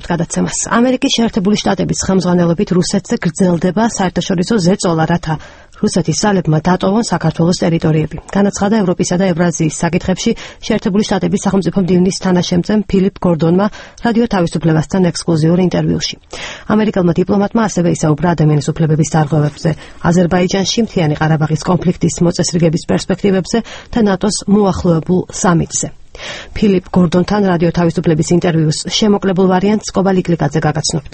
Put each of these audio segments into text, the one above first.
გადაცემას. ამერიკის შეერთებული შტატების ხელმძღვანელობით რუსეთზე გრძელდება საერთაშორისო ზეწოლა, რათა რუსეთის ძალებმა დატოვონ საქართველოს ტერიტორიები. განაცხადა ევროპისა და ევრაზიის საკითხებში შეერთებული შტატების სახელმწიფო მდივნის თანაშემწემ ფილიპ გორდონმა რადიო თავისუფლებასთან ექსკლუზიურ ინტერვიუში. ამერიკელმა დიპლომატმა ასევე ისაუბრა ადამიანის უფლებების დარღვევებზე, აზერბაიჯანში, მთიანი ყარაბაღის კონფლიქტის მოწესრიგების პერსპექტივებზე და ნატოს მოახლოებულ სამიტზე. ფილიპ გორდონთან რადიო თავისუფლების ინტერვიუს შემოკლებულ ვარიანტს კობალ იკლიკაძე გაგაცნობთ.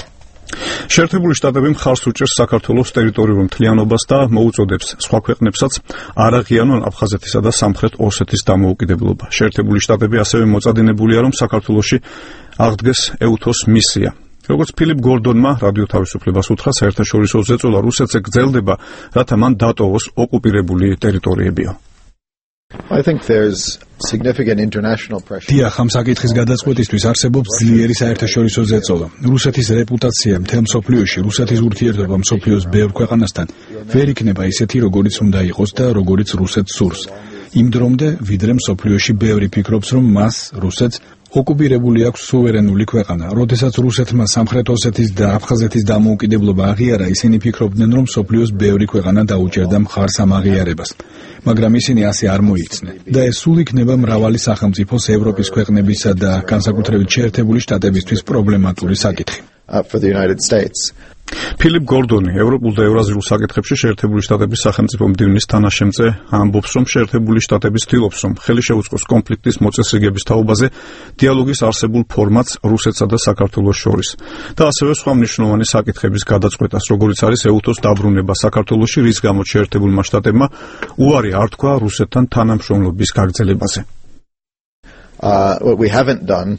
შეერთებული შტატები მხარს უჭერს საქართველოს ტერიტორიულ მთლიანობას და მოუწოდებს სხვა ქვეყნებსაც არ აღიარონ აფხაზეთისა და სამხრეთ ოსეთის დამოუკიდებლობა. შეერთებული შტატები ასევე მოწადინებულია, რომ საქართველოში აღდგეს EUTHOS მისია. როგორც ფილიპ გორდონმა რადიო თავისუფლებას უთხრა, საერთაშორისო ზეწოლა რუსეთზე გრძელდება, რათა მან დატოვოს ოკუპირებული ტერიტორიებიო. I think there's significant international pressure. დიახ, ამ საკითხის გადაწყვეტისთვის არსებობს ძლიერი საერთაშორისო ზეწოლა. რუსეთის რეპუტაცია მთელ მსოფლიოში, რუსეთის ურთიერთობა მსოფლიოს ბევრ ქვეყანასთან ვერ იქნება ისეთი, როგორიც უნდა იყოს და როგორიც რუსეთს სურს. იმ დრომდე, ვიდრე მსოფლიოში ბევრი ფიქრობს, რომ მას, რუსეთს, ოკუპირებული აქვს სუვერენული ქვეყანა. როდესაც რუსეთმა სამხრეთ ოსეთის და აფხაზეთის დამოუკიდებლობა აღიარა, ისინი ფიქრობდნენ, რომ მსოფლიოს ბევრი ქვეყანა დაუჭერდა მხარს ამ აღიარებას. მაგრამ ისინი ასე არ მოიქცნენ. და ეს სულ იქნება მრავალი სახელმწიფოს, ევროპის ქვეყნებისა და განსაკუთრებით შეერთებული შტატებისთვის პრობლემატური საკითხი. ფილიპ გორდონი ევროპულ და ევრაზიულ საკითხებში შეერთებული შტატების სახელმწიფო მდივნის თანაშემწე ამბობს, რომ შეერთებული შტატები ცდილობს, რომ ხელი შეუწყოს კონფლიქტის მოწესრიგების თაობაზე დიალოგის არსებულ ფორმატს რუსეთსა და საქართველოს შორის და ასევე სხვა მნიშვნელოვანი საკითხების გადაწყვეტას, როგორიც არის EUTHOS დაბრუნება საქართველოში, რის გამოც შეერთებულმა შტატებმა უარი არ თქვა რუსეთთან თანამშრომლობის გაგრძელებაზე. What we haven't done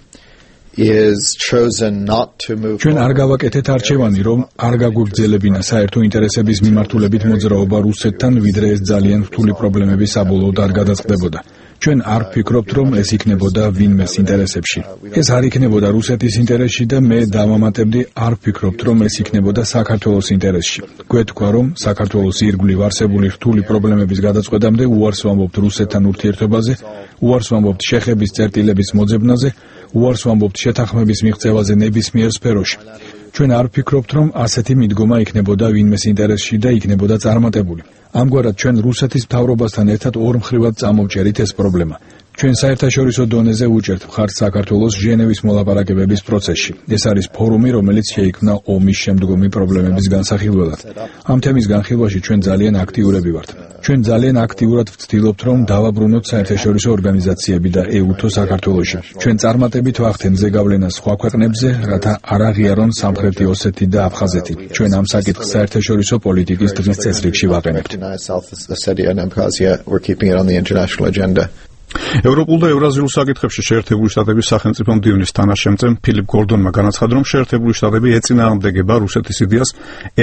is chosen not to move. ჩვენ არ გავაკეთეთ არჩევანი, რომ არ გაგვიგრძელებინა საერთო ინტერესების მიმართულებით მოძრაობა რუსეთთან, ვიდრე ეს ძალიან რთული პრობლემები საბოლოოდ არ გადაწყდებოდა. ჩვენ არ ვფიქრობთ, რომ ეს იქნებოდა ვინმეს ინტერესებში. ეს არ იქნებოდა რუსეთის ინტერესში და მე დავამატებდი, არ ვფიქრობთ, რომ ეს იქნებოდა საქართველოს ინტერესში. გვეთქვა, რომ საქართველოს ირგვლივ არსებული რთული პრობლემების გადაწყვეტამდე უარს ვამბობთ რუსეთთან ურთიერთობაზე, უარს ვამბობთ შეხების წერტილების მოძებნაზე, უარს ვამბობთ შეთანხმების მიღწევაზე ნებისმიერ სფეროში. ჩვენ არ ვფიქრობთ, რომ ასეთი მიდგომა იქნებოდა ვინმეს ინტერესში და იქნებოდა წარმატებული. ამგვარად ჩვენ რუსეთის მთავრობასთან ერთად ორმხრივად წამოვჭერით ეს პრობლემა. ჩვენ საერთაშორისო დონეზე უჭერთ მხარს საქართველოს ჟენევის მოლაპარაკებების პროცესში. ეს არის ფორუმი, რომელიც შეიქმნა ომის შემდგომი პრობლემების განსახილველად. ამ თემის განხილვაში ჩვენ ძალიან აქტიურები ვართ. ჩვენ ძალიან აქტიურად ვცდილობთ, რომ დავაბრუნოთ საერთაშორისო ორგანიზაციები და EUTHO საქართველოში. ჩვენ წარმატებით ვახდენთ ზეგავლენას სხვა ქვეყნებზე, რათა არ აღიარონ სამხრეთი ოსეთი და აფხაზეთი. ჩვენ ამ საკითხს საერთაშორისო პოლიტიკის დღის წესრიგში ვაყენებთ. ევროპულ და ევრაზიულ საკითხებში შეერთებული შტატების სახელმწიფო მდივნის თანაშემწემ ფილიპ გორდონმა განაცხადა, რომ შეერთებული შტატები ეწინააღმდეგება რუსეთის იდეას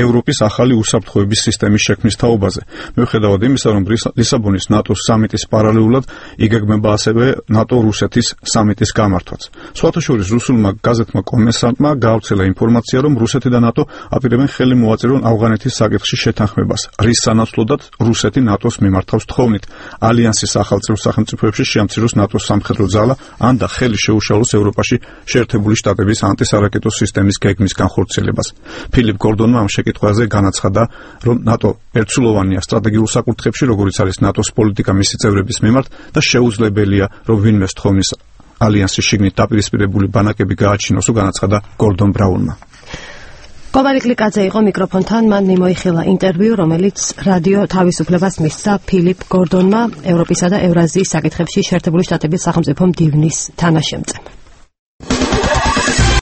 ევროპის ახალი უსაფრთხოების სისტემის შექმნის თაობაზე. მიუხედავად იმისა, რომ ლისაბონის ნატოს სამიტის პარალელურად იგეგმება ასევე ნატო-რუსეთის სამიტის გამართვაც. სხვათა შორის რუსულმა გაზეთმა კომენსანტმა გაავრცელა ინფორმაცია, რომ რუსეთი და ნატო აპირებენ ხელი მოაწერონ ავღანეთის საკითხში შეთანხმებას, რის სანაცვლოდაც რუსეთი ნატოს მიმართავს თხოვნით ალიანსის ახალწევრ სახელმწიფოებში შეამციროს ნატოს სამხედრო ძალა, ან და ხელი შეუშალოს ევროპაში შეერთებული შტატების ანტისარაკეტო სისტემის გეგმის განხორციელებას. ფილიპ გორდონმა ამ შეკითხვაზე განაცხადა, რომ ნატო ერთსულოვანია სტრატეგიულ საკითხებში, როგორიც არის ნატოს პოლიტიკა მისი წევრების მიმართ და შეუძლებელია, რომ ვინმეს თხოვნის ალიანსის შიგნით დაპირისპირებული ბანაკები გააჩინოს, განაცხადა გორდონ ბრაუნმა. კობალ იკლიკაძე იყო მიკროფონთან, მან მიმოიხილა ინტერვიუ, რომელიც რადიო თავისუფლებას მისცა ფილიპ გორდონმა, ევროპისა და ევრაზიის საკითხებში შეერთებული შტატების სახელმწიფო მდივნის თანაშემწემ.